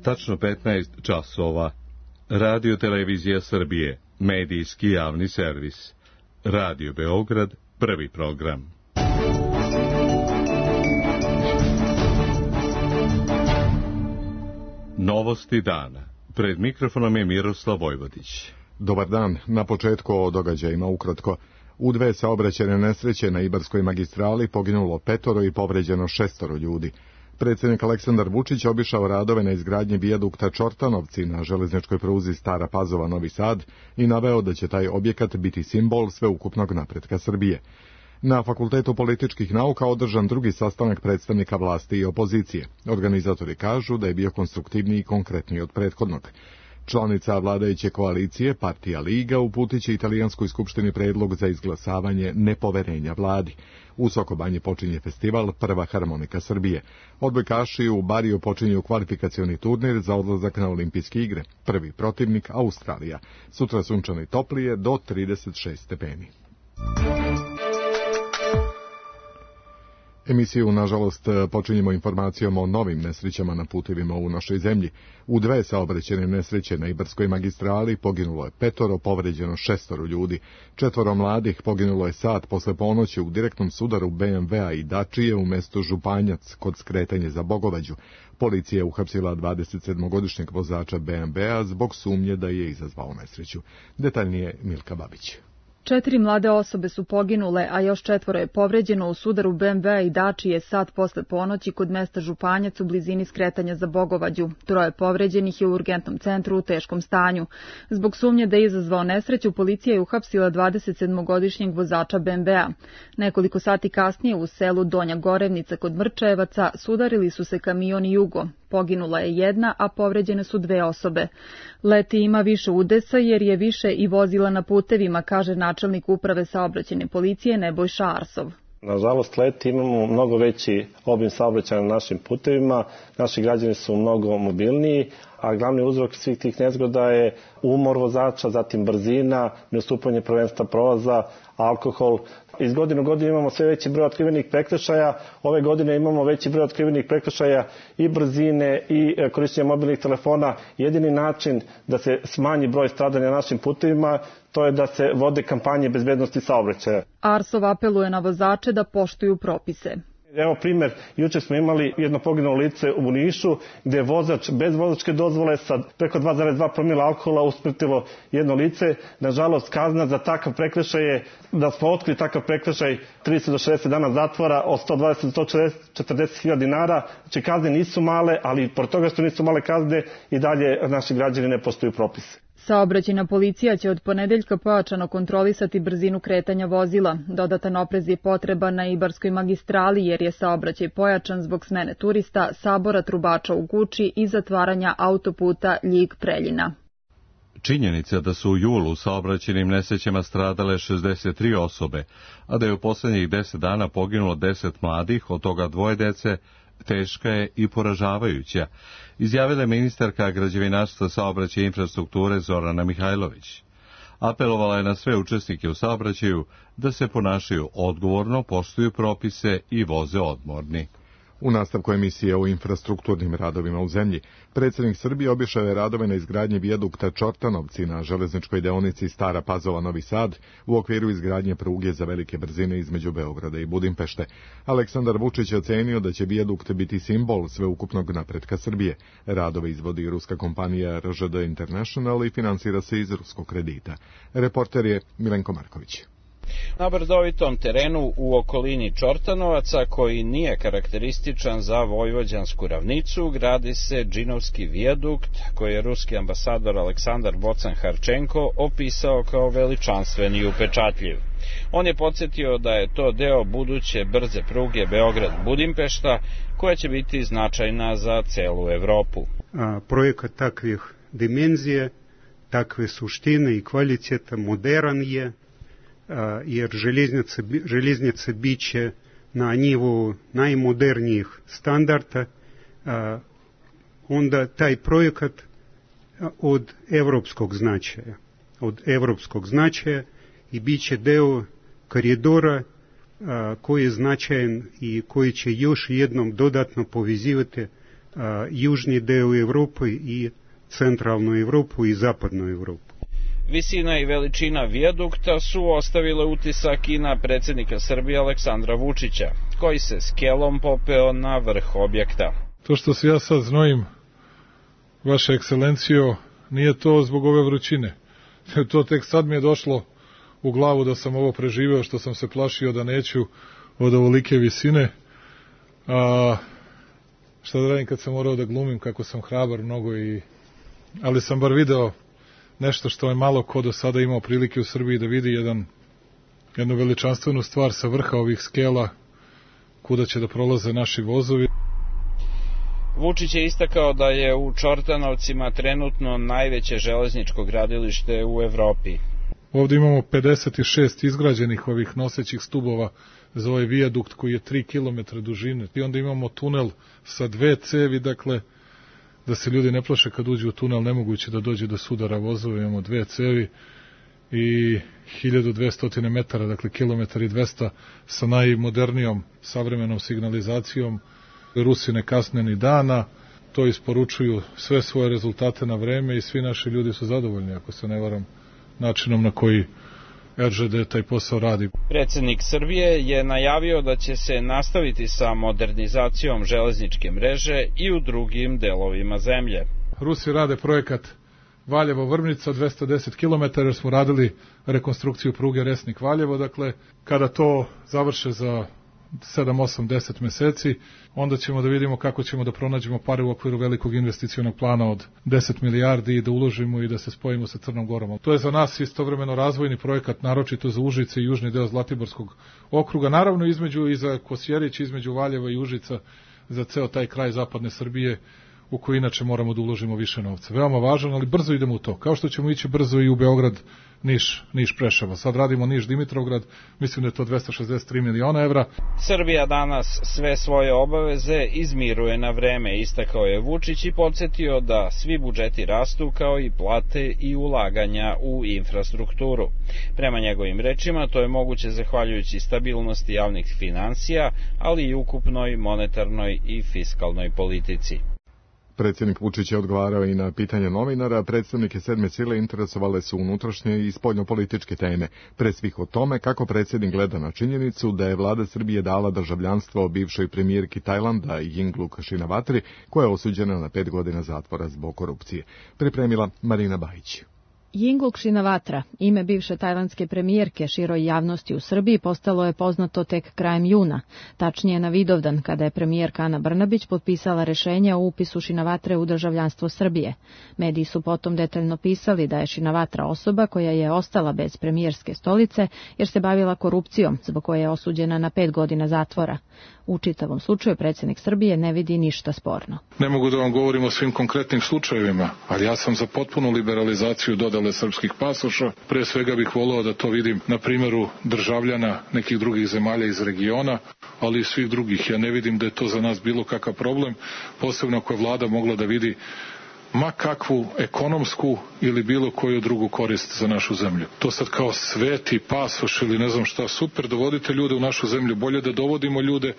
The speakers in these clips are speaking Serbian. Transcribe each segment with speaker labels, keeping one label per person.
Speaker 1: Tačno 15 časova. Radio Televizija Srbije, medijski javni servis. Radio Beograd, prvi program. Novosti dana. Pred mikrofonom je Miroslav Vojvodić.
Speaker 2: Dobar dan. Na početku o događajima ukratko. U dve saobraćajne nesreće na Ibarskoj magistrali poginulo 5 i povređeno 6 ljudi. Predsjednik Aleksandar Vučić obišao radove na izgradnji vijadukta Čortanovci na železničkoj pruzi Stara Pazova Novi Sad i naveo da će taj objekat biti simbol sveukupnog napretka Srbije. Na Fakultetu političkih nauka održan drugi sastanak predstavnika vlasti i opozicije. Organizatori kažu da je bio konstruktivniji i konkretniji od prethodnog. Članica vladajuće koalicije, partija Liga, uputiće Italijanskoj skupštini predlog za izglasavanje nepoverenja vladi. U Sokobanji počinje festival Prva harmonika Srbije. Odbojkaši u Bariju počinju kvalifikacioni turnir za odlazak na olimpijske igre. Prvi protivnik Australija. Sutra sunčano i toplije do 36 stepeni. Emisiju, nažalost, počinjemo informacijom o novim nesrećama na putevima u našoj zemlji. U dve saobraćajne nesreće na Ibarskoj magistrali poginulo je 5, povređeno 6 ljudi. 4 mladih poginulo je sat posle ponoći u direktnom sudaru BMW-a i Dačije u mestu Županjac kod skretanja za Bogovađu. Policija je uhapsila 27-godišnjeg vozača BMW-a zbog sumnje da je izazvao nesreću. Detaljnije Milka Babić.
Speaker 3: 4 mlade osobe su poginule, a još 4 je povređeno u sudaru BMW i Dačije sat posle ponoći kod mesta Županjac u blizini skretanja za Bogovađu. 3 povređenih je u urgentnom centru u teškom stanju. Zbog sumnje da je izazvao nesreću, policija je uhapsila 27-godišnjeg vozača BMW-a. Nekoliko sati kasnije u selu Donja Gorevnica kod Mrčajevaca sudarili su se kamion i Jugo. Poginula je 1, a povređene su 2 osobe. Leti ima više udesa jer je više i vozila na putevima, kaže načelnik uprave saobraćajne policije Nebojša Arsov.
Speaker 4: Nažalost, leti imamo mnogo veći obim saobraćaja na našim putevima, naši građani su mnogo mobilniji, a glavni uzrok svih tih nezgoda je umor vozača, zatim brzina, neustupanje prvenstva prolaza, alkohol. Iz godine u godinu imamo sve veći broj otkrivenih prekršaja. Ove godine imamo veći broj otkrivenih prekršaja i brzine i korišćenja mobilnih telefona. Jedini način da se smanji broj stradanja na našim putevima, to je da se vode kampanje bezbednosti saobraćaja.
Speaker 3: Arsov apeluje na vozače da poštuju propise.
Speaker 4: Evo primjer, jučer smo imali jedno poginulo lice u Nišu gdje je vozač bez vozačke dozvole sa preko 2,2 promila alkohola usmrtilo jedno lice. Nažalost, kazna za takav prekršaj je, da smo otkrili takav prekršaj, 30 do 60 dana zatvora od 120 do 140 hiljada dinara. Znači kazne nisu male, ali pored toga što nisu male kazne i dalje naši građani ne poštuju propise.
Speaker 3: Saobraćajna policija će od ponedeljka pojačano kontrolisati brzinu kretanja vozila. Dodatan oprez je potreban na Ibarskoj magistrali jer je saobraćaj pojačan zbog smene turista, sabora trubača u Guči i zatvaranja autoputa Ljig-Preljina.
Speaker 1: Činjenica da su u julu u saobraćajnim nesrećama stradale 63 osobe, a da je u posljednjih 10 dana poginulo 10 mladih, od toga 2 dece, teška je i poražavajuća, izjavila je ministarka građevinarstva, saobraćaja i infrastrukture Zorana Mihajlović. Apelovala je na sve učesnike u saobraćaju da se ponašaju odgovorno, poštuju propise i voze odmorni.
Speaker 2: U nastavku emisije o infrastrukturnim radovima u zemlji, predsjednik Srbije obišao je radove na izgradnji vijadukta Čortanovci na železničkoj deonici Stara Pazova Novi Sad u okviru izgradnje pruge za velike brzine između Beograda i Budimpešte. Aleksandar Vučić je ocenio da će vijadukt biti simbol sveukupnog napretka Srbije. Radove izvodi ruska kompanija RŽD International i finansira se iz ruskog kredita. Reporter je Milenko Marković.
Speaker 5: Na brdovitom terenu u okolini Čortanovaca, koji nije karakterističan za vojvođansku ravnicu, gradi se džinovski vijadukt koji je ruski ambasador Aleksandar Bocan-Harčenko opisao kao veličanstven i upečatljiv. On je podsjetio da je to deo buduće brze pruge Beograd-Budimpešta, koja će biti značajna za celu Evropu.
Speaker 6: Projekat takvih dimenzije, takve suštine i kvaliteta moderan je, jer željeznica biće na nivou najmodernijih standarda, onda taj projekat od evropskog značaja i bit će deo koridora koji je značajan i koji će još jednom dodatno povezivati južni deo Evrope i centralnu Evropu i zapadnu Evropu.
Speaker 5: Visina i veličina vijadukta su ostavile utisak i na predsjednika Srbije Aleksandra Vučića, koji se skelom popeo na vrh objekta.
Speaker 7: To što se ja sad znojim, vaša ekscelencijo, nije to zbog ove vrućine. To tek sad mi je došlo u glavu da sam ovo preživeo, što sam se plašio da neću od ovolike visine. A šta da radim kad sam morao da glumim kako sam hrabar mnogo, ali sam bar video nešto što je malo ko do sada imao prilike u Srbiji da vidi, jednu veličanstvenu stvar sa vrha ovih skela kuda će da prolaze naši vozovi.
Speaker 5: Vučić je istakao da je u Čortanovcima trenutno najveće železničko gradilište u Evropi.
Speaker 7: Ovdje imamo 56 izgrađenih ovih nosećih stubova za ovaj vijadukt koji je 3 km dužine. I onda imamo tunel sa 2 cevi, dakle, da se ljudi ne plaše kad uđu u tunel, nemoguće da dođe do sudara vozova, imamo 2 cevi i 1200 metara, dakle kilometar i 200 sa najmodernijom savremenom signalizacijom. Rusi ne kasne ni dana, to isporučuju sve svoje rezultate na vreme i svi naši ljudi su zadovoljni, ako se ne varam, načinom na koji RŽD taj posao radi.
Speaker 5: Predsjednik Srbije je najavio da će se nastaviti sa modernizacijom železničke mreže i u drugim delovima zemlje.
Speaker 7: Rusi rade projekat Valjevo-Vrbnica 210 km, jer smo radili rekonstrukciju pruge Resnik-Valjevo, dakle, kada to završe za 7, 8, 10 meseci, onda ćemo da vidimo kako ćemo da pronađemo pare u okviru velikog investicionog plana od 10 milijardi i da uložimo i da se spojimo sa Crnom Gorom. To je za nas istovremeno razvojni projekat, naročito za Užice i južni deo Zlatiborskog okruga, naravno i za Kosjerić, između Valjeva i Užica, za ceo taj kraj zapadne Srbije, u koji inače moramo da uložimo više novca. Veoma važan, ali brzo idemo u to. Kao što ćemo ići brzo i u Beograd, Niš Preševo. Sad radimo Niš Dimitrovgrad, mislim da je to 263 miliona evra.
Speaker 5: Srbija danas sve svoje obaveze izmiruje na vreme, istakao je Vučić i podsjetio da svi budžeti rastu kao i plate i ulaganja u infrastrukturu. Prema njegovim rečima to je moguće zahvaljujući stabilnosti javnih finansija, ali i ukupnoj monetarnoj i fiskalnoj politici.
Speaker 2: Predsjednik Vučić je odgovarao i na pitanje novinara. Predstavnike sedme sile interesovale su unutrašnje i spoljnopolitičke teme, pre svih o tome kako predsjednik gleda na činjenicu da je vlada Srbije dala državljanstvo bivšoj premijerki Tajlanda Yingluck Shinawatri, koja je osuđena na 5 godina zatvora zbog korupcije. Pripremila Marina Bajić.
Speaker 8: Yingluck Shinawatra, ime bivše tajlandske premijerke, široj javnosti u Srbiji postalo je poznato tek krajem juna, tačnije na Vidovdan, kada je premijerka Ana Brnabić potpisala rešenje o upisu Shinawatre u državljanstvo Srbije. Mediji su potom detaljno pisali da je Shinawatra osoba koja je ostala bez premijerske stolice jer se bavila korupcijom, zbog koje je osuđena na 5 godina zatvora. U čitavom slučaju predsjednik Srbije ne vidi ništa sporno.
Speaker 7: Ne mogu da vam govorim o svim konkretnim slučajevima, ali ja sam za potpunu liberalizaciju dodale srpskih pasoša. Pre svega bih voleo da to vidim na primjeru državljana nekih drugih zemalja iz regiona, ali i svih drugih. Ja ne vidim da je to za nas bilo kakav problem, posebno ako je vlada mogla da vidi ma kakvu ekonomsku ili bilo koju drugu korist za našu zemlju. To sad kao sveti pasoš ili ne znam šta, super, dovodite ljude u našu zemlju, bolje da dovodimo ljude.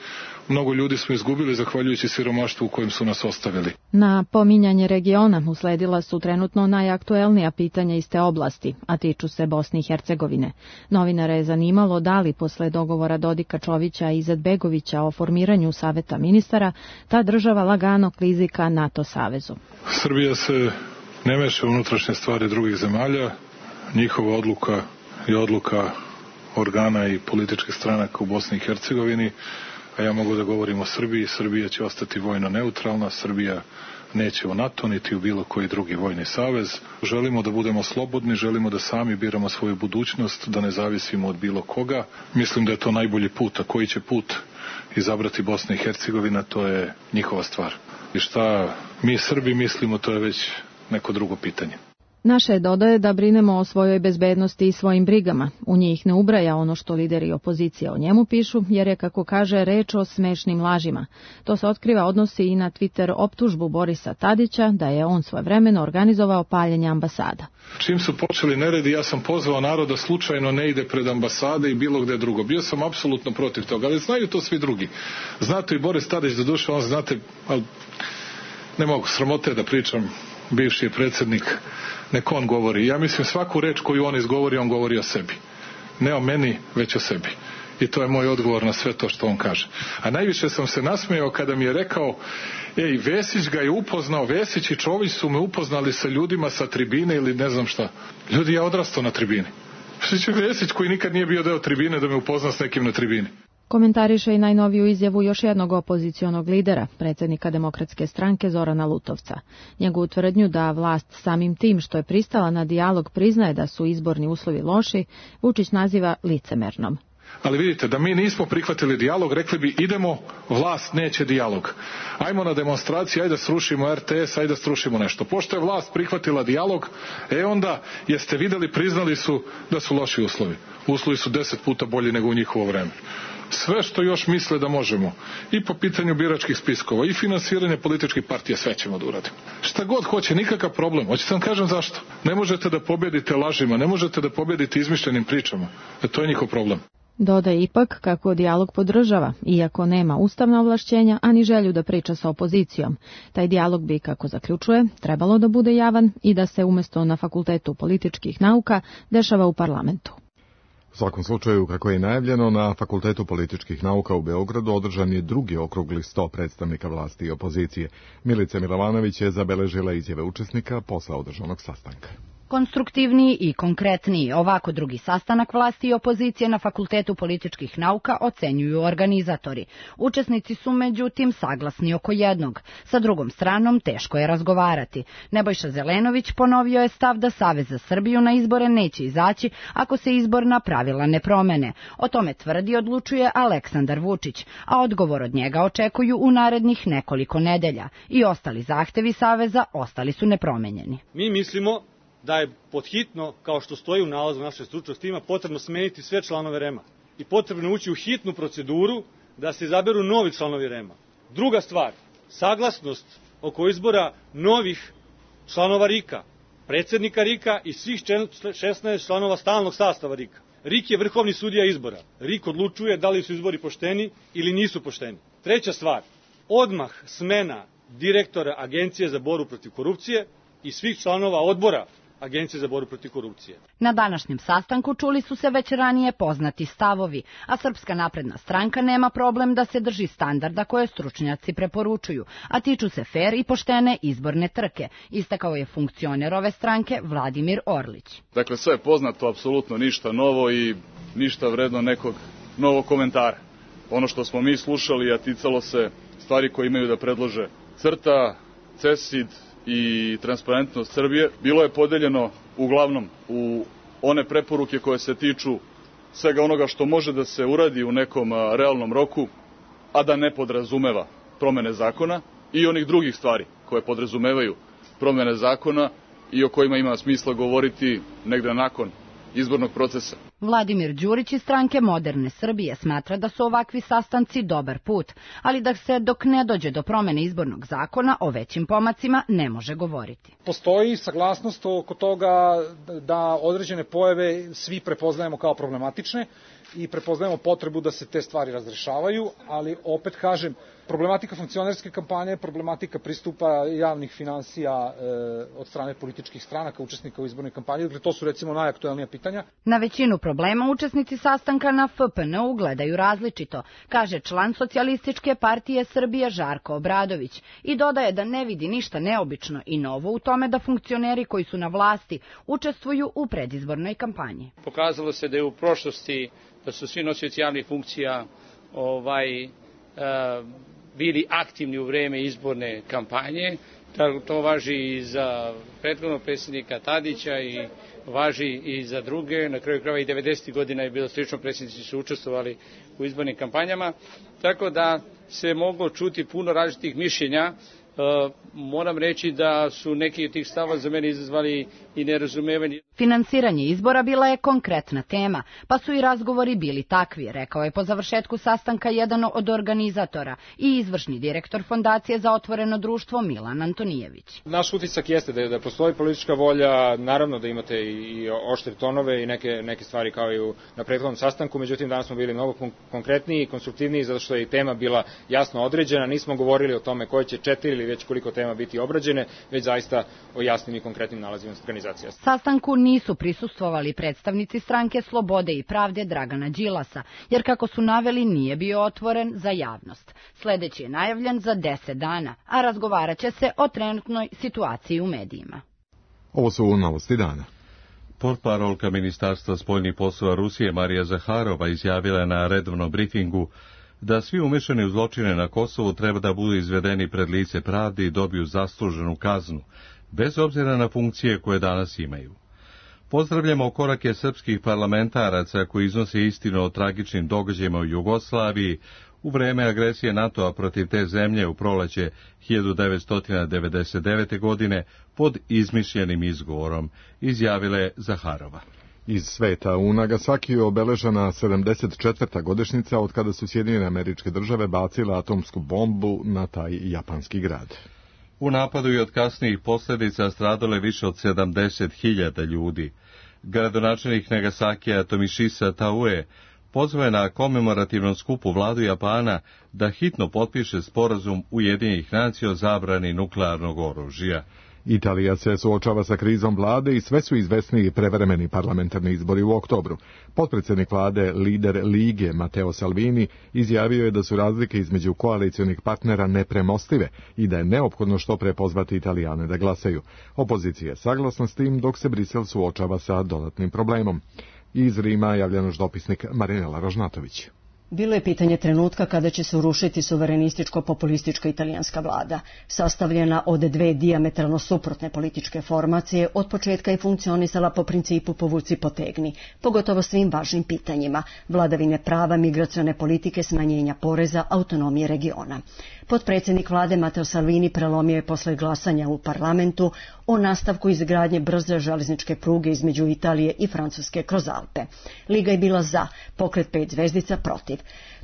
Speaker 7: Mnogo ljudi smo izgubili zahvaljujući siromaštvu u kojem su nas ostavili.
Speaker 8: Na pominjanje regiona usledila su trenutno najaktuelnija pitanja iz te oblasti, a tiču se Bosne i Hercegovine. Novinare je zanimalo da li posle dogovora Dodika Čovića i Izetbegovića o formiranju saveta ministara, ta država lagano klizi ka NATO savezu.
Speaker 7: Srbija se ne meša u unutrašnje stvari drugih zemalja. Njihova odluka je odluka organa i političkih stranaka u Bosni i Hercegovini, a ja mogu da govorim o Srbiji. Srbija će ostati vojno neutralna, Srbija neće u NATO niti u bilo koji drugi vojni savez. Želimo da budemo slobodni, želimo da sami biramo svoju budućnost, da ne zavisimo od bilo koga. Mislim da je to najbolji put, a koji će put izabrati Bosna i Hercegovina, to je njihova stvar. I šta mi Srbi mislimo, to je već neko drugo pitanje.
Speaker 8: Naše dodaje da brinemo o svojoj bezbednosti i svojim brigama. U njih ne ubraja ono što lideri opozicije o njemu pišu, jer je, kako kaže, reč o smešnim lažima. To se otkriva odnosi i na Twitter optužbu Borisa Tadića da je on svojevremeno organizovao paljenje ambasada.
Speaker 7: Čim su počeli neredi, ja sam pozvao narod da slučajno ne ide pred ambasade i bilo gde drugo. Bio sam apsolutno protiv toga, ali znaju to svi drugi. Znate i Boris Tadić, do duše, on znate, ali Ne mogu, sramote da pričam, bivši je predsjednik, nek on govori. Ja mislim svaku reč koju on izgovori, on govori o sebi. Ne o meni, već o sebi. I to je moj odgovor na sve to što on kaže. A najviše sam se nasmejao kada mi je rekao, Vesić ga je upoznao, Vesić i Čović su me upoznali sa ljudima sa tribine ili ne znam šta. Ljudi, ja odrastao na tribini. Što će Vesić koji nikad nije bio deo tribine da me upozna s nekim na tribini?
Speaker 8: Komentariše i najnoviju izjavu još jednog opozicionog lidera, predsjednika Demokratske stranke Zorana Lutovca. Njegovu tvrdnju da vlast samim tim što je pristala na dijalog priznaje da su izborni uslovi loši, Vučić naziva licemernom.
Speaker 7: Ali vidite, da mi nismo prihvatili dijalog, rekli bi idemo, vlast neće dijalog. Ajmo na demonstraciji, ajde da srušimo RTS, ajde da srušimo nešto. Pošto je vlast prihvatila dijalog, onda jeste videli, priznali su da su loši uslovi. Uslovi su 10 puta bolji nego u njihovo vreme. Sve što još misle da možemo, i po pitanju biračkih spiskova, i finansiranje političkih partija, sve ćemo da uradimo. Šta god hoće, nikakav problem. Hoćete vam kažem zašto? Ne možete da pobedite lažima, ne možete da pobedite izmišljenim pričama. To je njihov problem.
Speaker 8: Dodaje ipak kako dijalog podržava, iako nema ustavna ovlašćenja, ani želju da priča sa opozicijom. Taj dijalog bi, kako zaključuje, trebalo da bude javan i da se umjesto na Fakultetu političkih nauka dešava u parlamentu.
Speaker 2: U svakom slučaju, kako je najavljeno, na Fakultetu političkih nauka u Beogradu održan je drugi okrugli sto predstavnika vlasti i opozicije. Milica Milovanović je zabeležila izjave učesnika posle održanog sastanka.
Speaker 9: Konstruktivniji i konkretniji, ovako drugi sastanak vlasti i opozicije na Fakultetu političkih nauka ocenjuju organizatori. Učesnici su međutim saglasni oko jednog. Sa drugom stranom teško je razgovarati. Nebojša Zelenović ponovio je stav da Savez za Srbiju na izbore neće izaći ako se izborna pravila ne promene. O tome tvrdi odlučuje Aleksandar Vučić, a odgovor od njega očekuju u narednih nekoliko nedelja. I ostali zahtevi Saveza ostali su nepromenjeni.
Speaker 10: Mi mislimo da je podhitno, kao što stoji u nalazu našeg stručnog tima, potrebno smeniti sve članove REM-a i potrebno ući u hitnu proceduru da se izaberu novi članovi REM-a. Druga stvar, saglasnost oko izbora novih članova RIK-a, predsjednika RIK-a i svih 16 članova stalnog sastava RIK-a. RIK je vrhovni sudija izbora. RIK odlučuje da li su izbori pošteni ili nisu pošteni. Treća stvar, odmah smena direktora Agencije za borbu protiv korupcije i svih članova odbora Agencije za borbu protiv korupcije.
Speaker 9: Na današnjem sastanku čuli su se već ranije poznati stavovi, a Srpska napredna stranka nema problem da se drži standarda koje stručnjaci preporučuju, a tiču se fer i poštene izborne trke, istakao je funkcioner ove stranke Vladimir Orlić.
Speaker 11: Dakle, sve je poznato, apsolutno ništa novo i ništa vredno nekog novog komentara. Ono što smo mi slušali, a ticalo se stvari koje imaju da predlože CRTA, CESID i Transparentnost Srbije, bilo je podeljeno uglavnom u one preporuke koje se tiču svega onoga što može da se uradi u nekom realnom roku, a da ne podrazumeva promene zakona, i onih drugih stvari koje podrazumevaju promene zakona i o kojima ima smisla govoriti negde nakon izbornog procesa.
Speaker 9: Vladimir Đurić iz stranke Moderne Srbije smatra da su ovakvi sastanci dobar put, ali da se dok ne dođe do promene izbornog zakona o većim pomacima ne može govoriti.
Speaker 12: Postoji saglasnost oko toga da određene pojave svi prepoznajemo kao problematične i prepoznajemo potrebu da se te stvari razrešavaju, ali opet kažem, problematika funkcionerske kampanje, problematika pristupa javnih finansija od strane političkih stranaka, učesnika u izbornoj kampanji, dakle to su recimo najaktuelnija pitanja.
Speaker 9: Na većinu problema učesnici sastanka na FPN-u gledaju različito, kaže član Socijalističke partije Srbije Žarko Obradović i dodaje da ne vidi ništa neobično i novo u tome da funkcioneri koji su na vlasti učestvuju u predizbornoj kampanji.
Speaker 13: Pokazalo se da je u prošlosti da su svi nosioci javnih funkcija bili aktivni u vreme izborne kampanje. To važi i za prethodnog predsjednika Tadića i važi i za druge. Na kraju krajeva i 90. godina je bilo slično, predsjednici su učestvovali u izbornim kampanjama. Tako da se moglo čuti puno različitih mišljenja. Moram reći da su neki od tih stavova za mene izazvali i nerazumevanje.
Speaker 9: Finansiranje izbora bila je konkretna tema, pa su i razgovori bili takvi, rekao je po završetku sastanka jedan od organizatora i izvršni direktor Fondacije za otvoreno društvo Milan Antonijević.
Speaker 12: Naš utisak jeste da postoji politička volja, naravno da imate i oštre tonove i neke stvari kao i na prethodnom sastanku, međutim danas smo bili mnogo konkretniji i konstruktivniji zato što je i tema bila jasno određena, nismo govorili o tome koje će 4 ili već koliko tema biti obrađene, već zaista o jasnim i konkretnim nalazima organizacija.
Speaker 9: Sastanku nisu prisustvovali predstavnici Stranke Slobode i pravde Dragana Đilasa, jer kako su naveli nije bio otvoren za javnost. Sledeći je najavljen za 10 dana, a razgovarat će se o trenutnoj situaciji u medijima.
Speaker 2: Ovo su novosti dana.
Speaker 1: Portparolka Ministarstva spoljnih poslova Rusije Marija Zaharova izjavila je na redovnom brifingu da svi umešani u zločine na Kosovu treba da budu izvedeni pred lice pravde i dobiju zasluženu kaznu, bez obzira na funkcije koje danas imaju. Pozdravljamo korake srpskih parlamentaraca koji iznose istinu o tragičnim događajima u Jugoslaviji u vreme agresije NATO-a protiv te zemlje u proleće 1999. godine pod izmišljenim izgovorom, izjavila je Zaharova.
Speaker 2: Iz sveta u Nagasakiju obeležena 74. godišnjica od kada su Sjedinjene Američke Države bacile atomsku bombu na taj japanski grad.
Speaker 1: U napadu i od kasnijih posljedica stradalo je više od 70.000 ljudi. Gradonačelnik Nagasakija Tomišisa Taue pozvao je na komemorativnom skupu vladu Japana da hitno potpiše sporazum Ujedinjenih nacija o zabrani nuklearnog oružja.
Speaker 2: Italija se suočava sa krizom vlade i sve su izvesniji prevremeni parlamentarni izbori u oktobru. Potpredsjednik vlade, lider Lige Matteo Salvini, izjavio je da su razlike između koalicionih partnera nepremostive i da je neophodno što pre pozvati Italijane da glasaju. Opozicija je saglasna s tim dok se Brisel suočava sa dodatnim problemom. Iz Rima javlja naš dopisnik Marinela Ražnatović.
Speaker 14: Bilo je pitanje trenutka kada će se urušiti suverenističko-populistička italijanska vlada. Sastavljena od dve dijametralno suprotne političke formacije, od početka je funkcionisala po principu povuci potegni, pogotovo svim važnim pitanjima, vladavine prava, migracione politike, smanjenja poreza, autonomije regiona. Potpredsjednik vlade Matteo Salvini prelomio je posle glasanja u parlamentu o nastavku izgradnje brze železničke pruge između Italije i Francuske kroz Alpe. Liga je bila za, pokret 5 zvezdica protiv.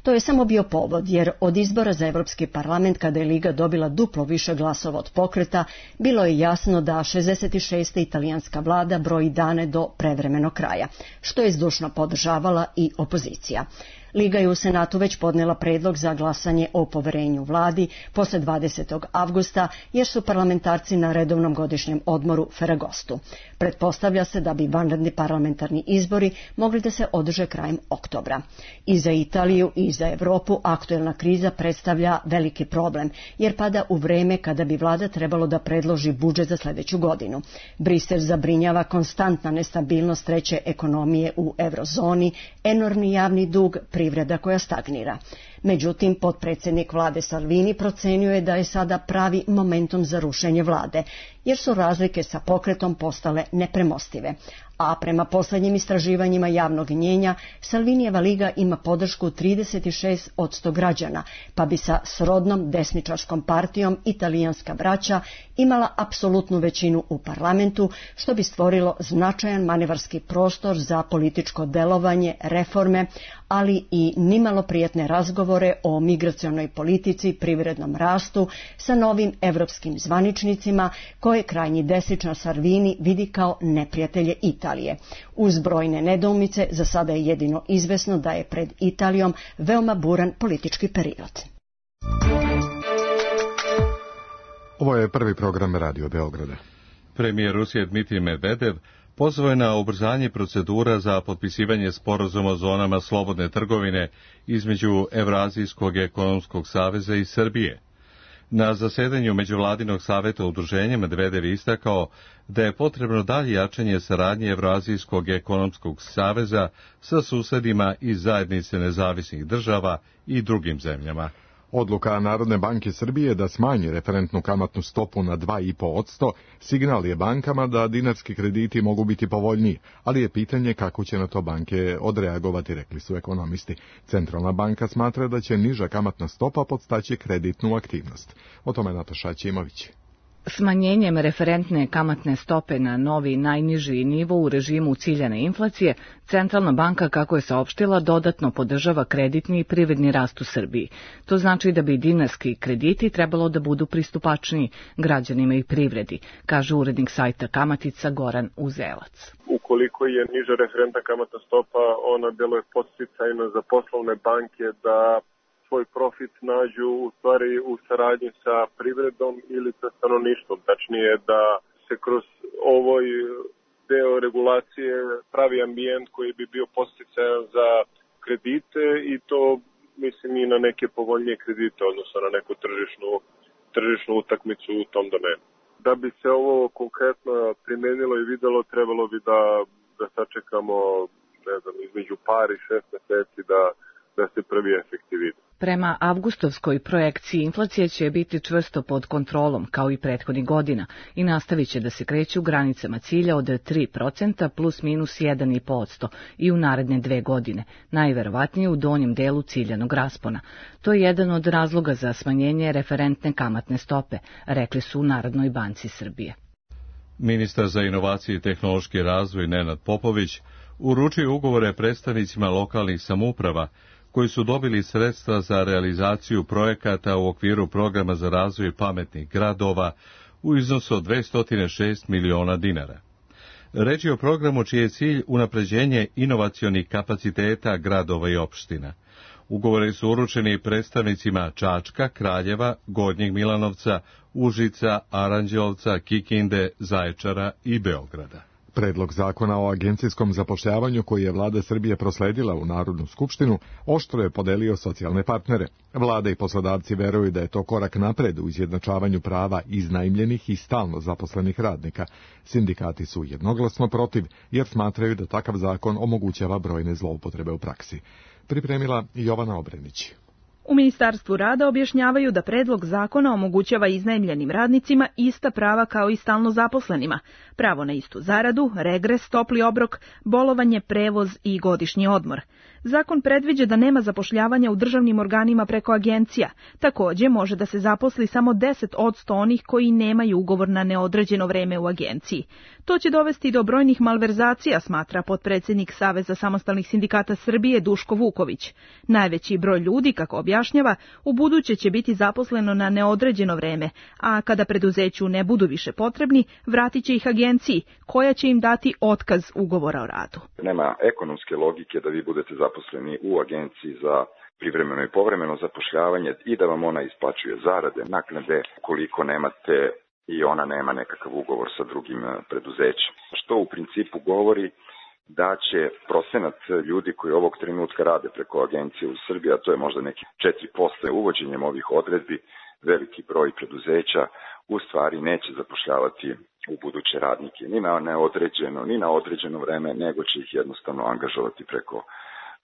Speaker 14: To je samo bio povod, jer od izbora za Evropski parlament, kada je Liga dobila duplo više glasova od pokreta, bilo je jasno da 66. italijanska vlada broji dane do prevremenog kraja, što je zdušno podržavala i opozicija. Liga je u Senatu već podnela predlog za glasanje o poverenju vladi posle 20. avgusta, jer su parlamentarci na redovnom godišnjem odmoru Ferragostu. Pretpostavlja se da bi vanredni parlamentarni izbori mogli da se održe krajem oktobra. I za Italiju i za Evropu aktuelna kriza predstavlja veliki problem, jer pada u vreme kada bi vlada trebalo da predloži budžet za sledeću godinu. Brisel zabrinjava konstantna nestabilnost treće ekonomije u eurozoni, enormni javni dug, privreda koja stagnira. Međutim, potpredsjednik vlade Salvini procenjuje je da je sada pravi momentum za rušenje vlade, jer su razlike sa pokretom postale nepremostive. A prema poslednjim istraživanjima javnog mnjenja, Salvinijeva liga ima podršku 36% građana, pa bi sa srodnom desničarskom partijom Italijanska braća imala apsolutnu većinu u parlamentu, što bi stvorilo značajan manevarski prostor za političko delovanje, reforme, ali i nimalo prijatne razgovore o migracionoj politici, privrednom rastu sa novim evropskim zvaničnicima koje krajnji desničar Salvini vidi kao neprijatelje Italije. Uz brojne nedoumice, za sada je jedino izvesno da je pred Italijom veoma buran politički period.
Speaker 2: Ovo je prvi program Radio Beograda.
Speaker 1: Premijer Rusije Dmitrij Medvedev pozvao je na ubrzanje procedura za potpisivanje sporazuma o zonama slobodne trgovine između Evrazijskog ekonomskog saveza i Srbije. Na zasedanju Međuvladinog saveta udruženja Medvedev istakao da je potrebno dalje jačanje saradnje Evrazijskog ekonomskog saveza sa susedima iz zajednice nezavisnih država i drugim zemljama.
Speaker 2: Odluka Narodne banke Srbije da smanji referentnu kamatnu stopu na 2,5% signal je bankama da dinarski krediti mogu biti povoljniji, ali je pitanje kako će na to banke odreagovati, rekli su ekonomisti. Centralna banka smatra da će niža kamatna stopa podstaći kreditnu aktivnost. O tome Nataša Ćimović.
Speaker 15: Smanjenjem referentne kamatne stope na novi najniži nivo u režimu ciljane inflacije, Centralna banka, kako je saopštila, dodatno podržava kreditni i privredni rast u Srbiji. To znači da bi dinarski krediti trebalo da budu pristupačniji građanima i privredi, kaže urednik sajta Kamatica Goran Uzelac.
Speaker 16: Ukoliko je niža referentna kamatna stopa, ona deluje podsticajno za poslovne banke da svoj profit nađu u stvari u saradnji sa privredom ili sa stanovništvom. Tačnije da se kroz ovoj deo regulacije pravi ambijent koji bi bio podsticajan za kredite i to mislim i na neke povoljnije kredite, odnosno na neku tržišnu utakmicu u tom domenu. Da bi se ovo konkretno primenilo i videlo, trebalo bi da sačekamo, ne znam, između par i 6 meseci da se prvi efekti vide.
Speaker 15: Prema avgustovskoj projekciji inflacija će biti čvrsto pod kontrolom, kao i prethodnih godina, i nastavit će da se kreće u granicama cilja od 3% plus minus 1,5% i u naredne 2 godine, najverovatnije u donjem delu ciljanog raspona. To je jedan od razloga za smanjenje referentne kamatne stope, rekli su u Narodnoj banci Srbije.
Speaker 1: Ministar za inovacije i tehnološki razvoj Nenad Popović uručio ugovore predstavnicima lokalnih samouprava koji su dobili sredstva za realizaciju projekata u okviru programa za razvoj pametnih gradova u iznosu od 206 miliona dinara. Reč je o programu čiji je cilj unapređenje inovacionih kapaciteta gradova i opština. Ugovori su uručeni predstavnicima Čačka, Kraljeva, Gornjeg Milanovca, Užica, Aranđelovca, Kikinde, Zaječara i Beograda.
Speaker 2: Predlog zakona o agencijskom zapošljavanju koji je vlada Srbije prosledila u Narodnu skupštinu oštro je podelio socijalne partnere. Vlada i poslodavci veruju da je to korak napred u izjednačavanju prava iznajmljenih i stalno zaposlenih radnika. Sindikati su jednoglasno protiv jer smatraju da takav zakon omogućava brojne zloupotrebe u praksi. Pripremila Jovana Obrenić.
Speaker 17: U Ministarstvu rada objašnjavaju da predlog zakona omogućava iznajmljenim radnicima ista prava kao i stalno zaposlenima, pravo na istu zaradu, regres, topli obrok, bolovanje, prevoz i godišnji odmor. Zakon predviđa da nema zapošljavanja u državnim organima preko agencija. Takođe, može da se zaposli samo 10% onih koji nemaju ugovor na neodređeno vreme u agenciji. To će dovesti do brojnih malverzacija, smatra potpredsednik Saveza samostalnih sindikata Srbije Duško Vuković. Najveći broj ljudi, kako objašnjava, u buduće će biti zaposleno na neodređeno vreme, a kada preduzeću ne budu više potrebni, vratit će ih agenciji, koja će im dati otkaz ugovora o radu.
Speaker 18: Nema ekonomske logike da vi budete zaposleni u agenciji za privremeno i povremeno zapošljavanje i da vam ona isplaćuje zarade, naknade, koliko nemate i ona nema nekakav ugovor sa drugim preduzećem. Što u principu govori da će procenat ljudi koji ovog trenutka rade preko agencije u Srbiji, a to je možda neki 4%, uvođenjem ovih odredbi, veliki broj preduzeća u stvari neće zapošljavati u buduće radnike ni na neodređeno, ni na određeno vreme, nego će ih jednostavno angažovati preko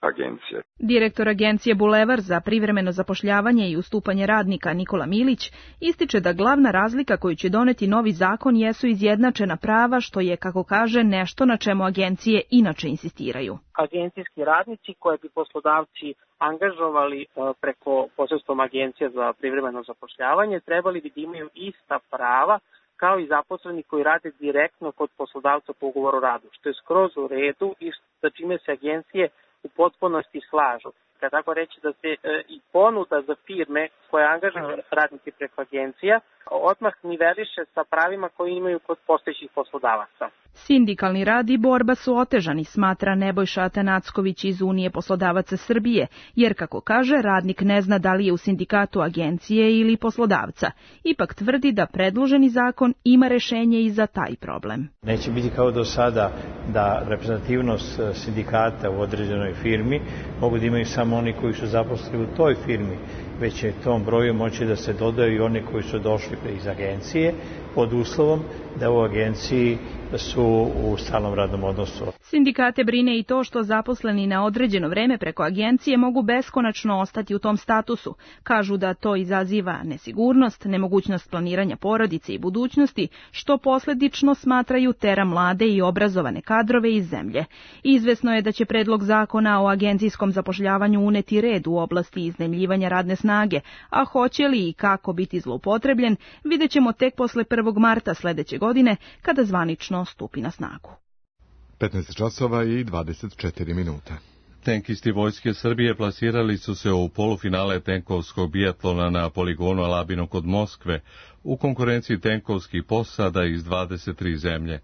Speaker 18: agencije.
Speaker 17: Direktor agencije Bulevar za privremeno zapošljavanje i ustupanje radnika Nikola Milić ističe da glavna razlika koju će doneti novi zakon jesu izjednačena prava, što je, kako kaže, nešto na čemu agencije inače insistiraju.
Speaker 19: Agencijski radnici koje bi poslodavci angažovali preko posredstvom agencija za privremeno zapošljavanje trebali bi da imaju ista prava kao i zaposleni koji rade direktno kod poslodavca po ugovoru o radu, što je skroz u redu i sa čime se agencije u potpunosti slažu. Kad tako reći da se i ponuda za firme koje angažuju radnike preko agencija odmah niveliše sa pravima koje imaju kod postojećih poslodavaca.
Speaker 17: Sindikalni rad i borba su otežani, smatra Nebojša Atanacković iz Unije poslodavaca Srbije, jer, kako kaže, radnik ne zna da li je u sindikatu agencije ili poslodavca. Ipak tvrdi da predloženi zakon ima rešenje i za taj problem.
Speaker 20: Neće biti kao do sada da reprezentativnost sindikata u određenoj firmi mogu da imaju samo oni koji su zaposleni u toj firmi, već će tom broju moći da se dodaju i oni koji su došli iz agencije pod uslovom da u agenciji su u stalnom radnom odnosu.
Speaker 17: Sindikate brine i to što zaposleni na određeno vreme preko agencije mogu beskonačno ostati u tom statusu. Kažu da to izaziva nesigurnost, nemogućnost planiranja porodice i budućnosti, što posledično smatraju tera mlade i obrazovane kadrove iz zemlje. Izvesno je da će predlog zakona o agencijskom zapošljavanju uneti red u oblasti iznajmljivanja radne snage, a hoće li i kako biti zloupotrebljen, vidjet ćemo tek posle 1. marta sledeće godine, kada zvanično stupi na snagu.
Speaker 2: 15 časova i 24 minuta.
Speaker 1: Tenkisti Vojske Srbije plasirali su se u polufinale tenkovskog bijatlona na poligonu Alabino kod Moskve u konkurenciji tenkovskih posada iz 23 zemlje.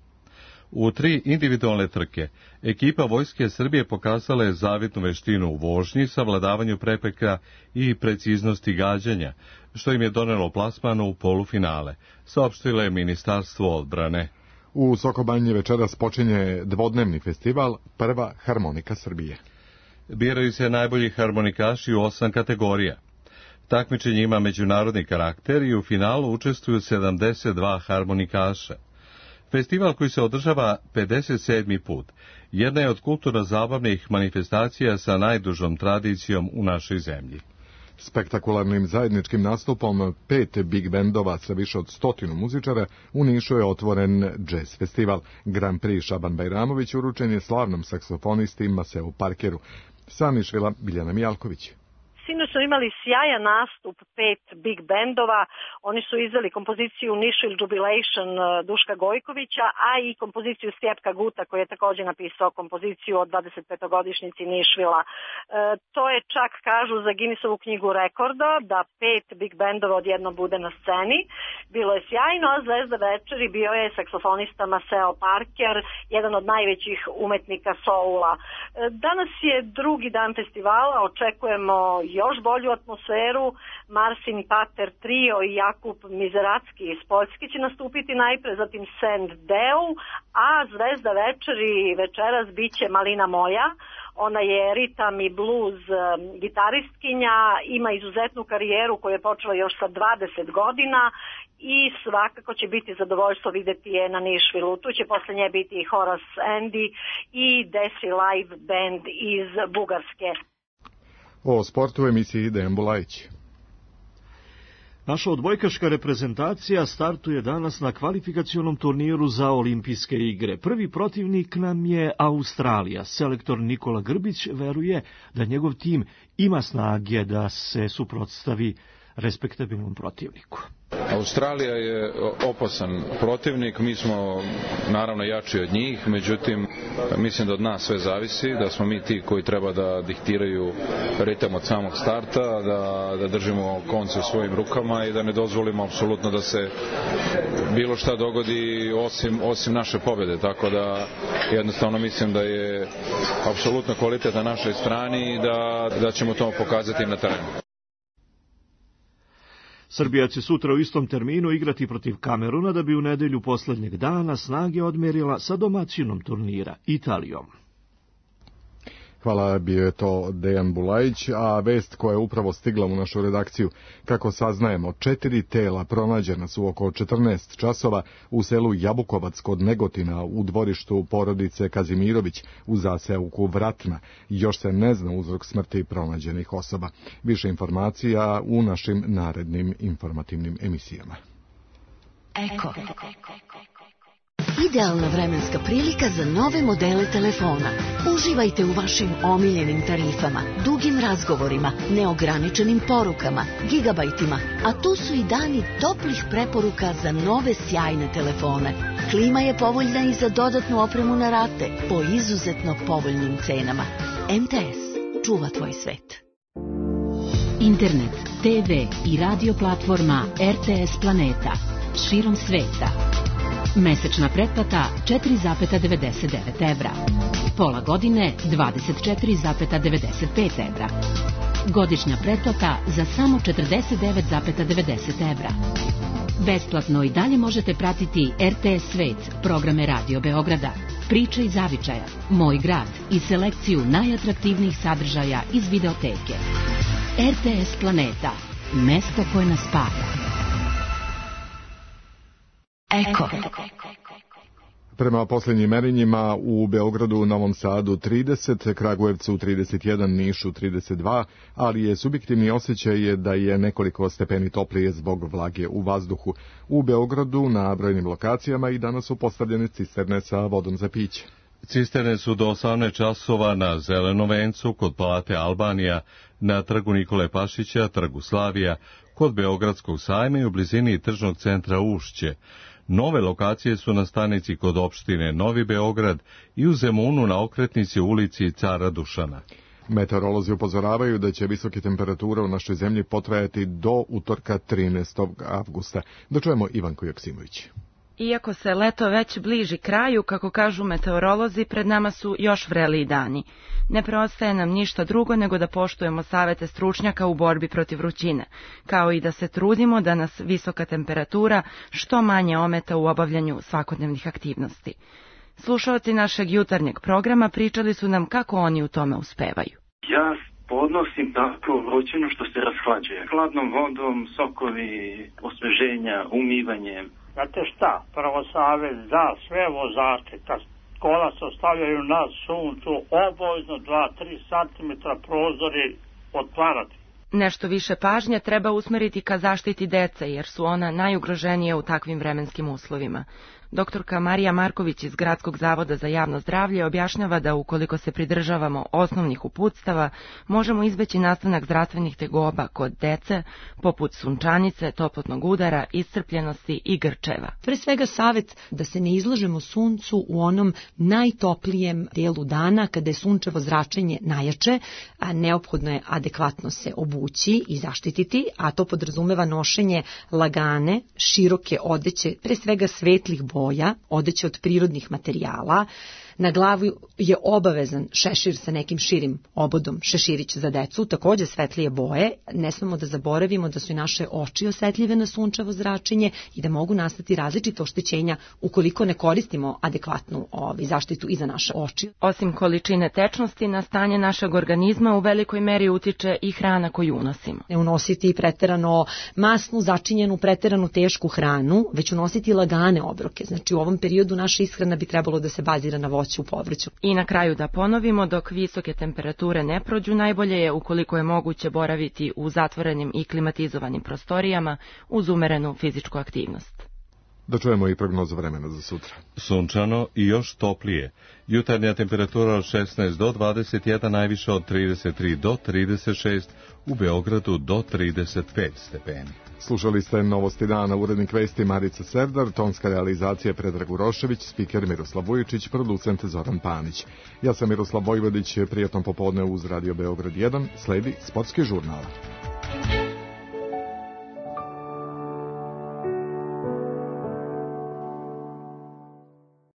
Speaker 1: U 3 individualne trke, ekipa Vojske Srbije pokazala je zavidnu veštinu u vožnji, savladavanju prepreka i preciznosti gađanja, što im je donelo plasman u polufinale, saopštilo je Ministarstvo odbrane.
Speaker 2: U Sokobanji večeras počinje dvodnevni festival Prva harmonika Srbije.
Speaker 1: Biraju se najbolji harmonikaši u 8 kategorija. Takmičenje ima međunarodni karakter i u finalu učestvuju 72 harmonikaša. Festival koji se održava 57. put, jedna je od kulturno-zabavnih manifestacija sa najdužom tradicijom u našoj zemlji.
Speaker 2: Spektakularnim zajedničkim nastupom 5 big bendova sa više od 100 muzičara u Nišu je otvoren jazz festival. Grand Prix Šaban Bajramović uručen je slavnom saksofonisti Maseu Parkeru. Sa Nišvila Biljana Mijalković.
Speaker 21: Sinoć smo imali sjajan nastup 5 big bendova. Oni su izveli kompoziciju Nišvil Jubilation Duška Gojkovića, a i kompoziciju Stjepka Guta, koji je također napisao kompoziciju od 25-godišnjici Nišvila. To je čak, kažu, za Guinnessovu knjigu rekorda, da 5 big bendova odjednom bude na sceni. Bilo je sjajno, a zvezda večeri bio je saksofonista Maceo Parker, jedan od najvećih umetnika soula. Danas je drugi dan festivala, očekujemo još bolju atmosferu. Marsin Pater Trio i Jakub Mizeracki iz Poljske će nastupiti najpre, zatim Sand Deu, a zvezda večeri večeras biće Malina Moja. Ona je ritam i blues gitaristkinja, ima izuzetnu karijeru koju je počela još sa 20 godina i svakako će biti zadovoljstvo vidjeti je na Nišvilu. Tu će posle nje biti i Horace Andy i Desi Live Band iz Bugarske.
Speaker 2: O sportu u emisiji Dejan Bulajić.
Speaker 22: Naša odbojkaška reprezentacija startuje danas na kvalifikacionom turniru za olimpijske igre. Prvi protivnik nam je Australija. Selektor Nikola Grbić veruje da njegov tim ima snage da se suprotstavi respektabilnom protivniku.
Speaker 23: Australija je opasan protivnik, mi smo naravno jači od njih, međutim mislim da od nas sve zavisi, da smo mi ti koji treba da diktiraju ritam od samog starta, da držimo konce u svojim rukama i da ne dozvolimo apsolutno da se bilo šta dogodi osim naše pobjede, tako da jednostavno mislim da je apsolutno kvalitet na našoj strani i da ćemo to pokazati na terenu.
Speaker 22: Srbija će sutra u istom terminu igrati protiv Kameruna da bi u nedelju poslednjeg dana snage odmerila sa domaćinom turnira, Italijom.
Speaker 2: Hvala, bio je to Dejan Bulajić, a vest koja je upravo stigla u našu redakciju. Kako saznajemo, 4 tela pronađena su oko 14 časova u selu Jabukovac kod Negotina u dvorištu porodice Kazimirović u zaseoku Vratna. Još se ne zna uzrok smrti pronađenih osoba. Više informacija u našim narednim informativnim emisijama.
Speaker 24: Eko. Idealna vremenska prilika za nove modele telefona. Uživajte u vašim omiljenim tarifama, dugim razgovorima, neograničenim porukama, gigabajtima, a tu su i dani toplih preporuka za nove sjajne telefone. Klima je povoljna i za dodatnu opremu na rate po izuzetno povoljnim cenama. MTS čuva tvoj svet. Internet, TV i radio platforma RTS Planeta širom sveta. Mesečna pretplata 4,99 evra. Pola godine 24,95 evra. Godišnja pretplata za samo 49,90 evra. Besplatno i dalje možete pratiti RTS Svet, programe Radio Beograda, Priče iz Zavičaja, Moj grad i selekciju najatraktivnijih sadržaja iz videoteke. RTS Planeta, mesto koje nas spaja. Eko.
Speaker 2: Prema posljednjim merenjima u Beogradu, Novom Sadu 30, Kragujevcu 31, Nišu 32, ali je subjektivni osjećaj da je nekoliko stepeni toplije zbog vlage u vazduhu. U Beogradu na brojnim lokacijama i danas su postavljene cisterne sa vodom za piće.
Speaker 1: Cisterne su do 18 časova na Zelenom vencu, kod Palate Albanija, na trgu Nikole Pašića, trgu Slavija, kod Beogradskog sajma i u blizini tržnog centra Ušće. Nove lokacije su na stanici kod opštine Novi Beograd i u Zemunu na okretnici u ulici Cara Dušana.
Speaker 2: Meteorolozi upozoravaju da će visoke temperature u našoj zemlji potrajati do utorka 13. avgusta. Da čujemo Ivanku Joksimović.
Speaker 17: Iako se leto već bliži kraju, kako kažu meteorolozi, pred nama su još vreliji dani. Ne preostaje nam ništa drugo nego da poštujemo savete stručnjaka u borbi protiv vrućine, kao i da se trudimo da nas visoka temperatura što manje ometa u obavljanju svakodnevnih aktivnosti. Slušalci našeg jutarnjeg programa pričali su nam kako oni u tome uspevaju.
Speaker 3: Ja podnosim tako vrućinu što se rashlađuje. Hladnom vodom, sokovi, osveženja, umivanjem.
Speaker 4: Znate šta, prvo savjet za sve vozače, kad kola se ostavljaju na suncu, obavezno 2-3 cm prozori otvarati.
Speaker 17: Nešto više pažnje treba usmeriti ka zaštiti dece, jer su ona najugroženije u takvim vremenskim uslovima. Doktorka Marija Marković iz Gradskog zavoda za javno zdravlje objašnjava da ukoliko se pridržavamo osnovnih uputstava, možemo izbeći nastanak zdravstvenih tegoba kod dece, poput sunčanice, toplotnog udara, iscrpljenosti i grčeva.
Speaker 5: Pre svega savjet da se ne izlažemo suncu u onom najtoplijem delu dana kada je sunčevo zračenje najjače, a neophodno je adekvatno se obući i zaštititi, a to podrazumeva nošenje lagane, široke odeće, pre svega svetlih boja, odeće od prirodnih materijala. Na glavu je obavezan šešir sa nekim širim obodom, šeširić za decu, također svetlije boje. Ne smemo da zaboravimo da su i naše oči osetljive na sunčevo zračenje i da mogu nastati različite oštećenja ukoliko ne koristimo adekvatnu zaštitu i za naše oči.
Speaker 17: Osim količine tečnosti, na stanje našeg organizma u velikoj meri utiče i hrana koju unosimo.
Speaker 5: Ne unositi preterano masnu, začinjenu, preterano tešku hranu, već unositi lagane obroke. Znači u ovom periodu naša ishrana bi trebalo da se bazira na voću u povrću.
Speaker 17: I na kraju da ponovimo, dok visoke temperature ne prođu, najbolje je ukoliko je moguće boraviti u zatvorenim i klimatizovanim prostorijama uz umerenu fizičku aktivnost.
Speaker 2: Da čujemo i prognozu vremena za sutra.
Speaker 1: Sunčano i još toplije. Jutarnja temperatura od 16 do 21, najviše od 33 do 36, u Beogradu do 35 stepeni.
Speaker 2: Slušali ste Novosti dana, urednik vesti Marica Serdar, tonska realizacija Predrag Urošević, spiker Miroslav Vujičić, producent Zoran Panić. Ja sam Miroslav Vojvodić, prijatno popodne uz Radio Beograd 1, sledi sportski žurnal.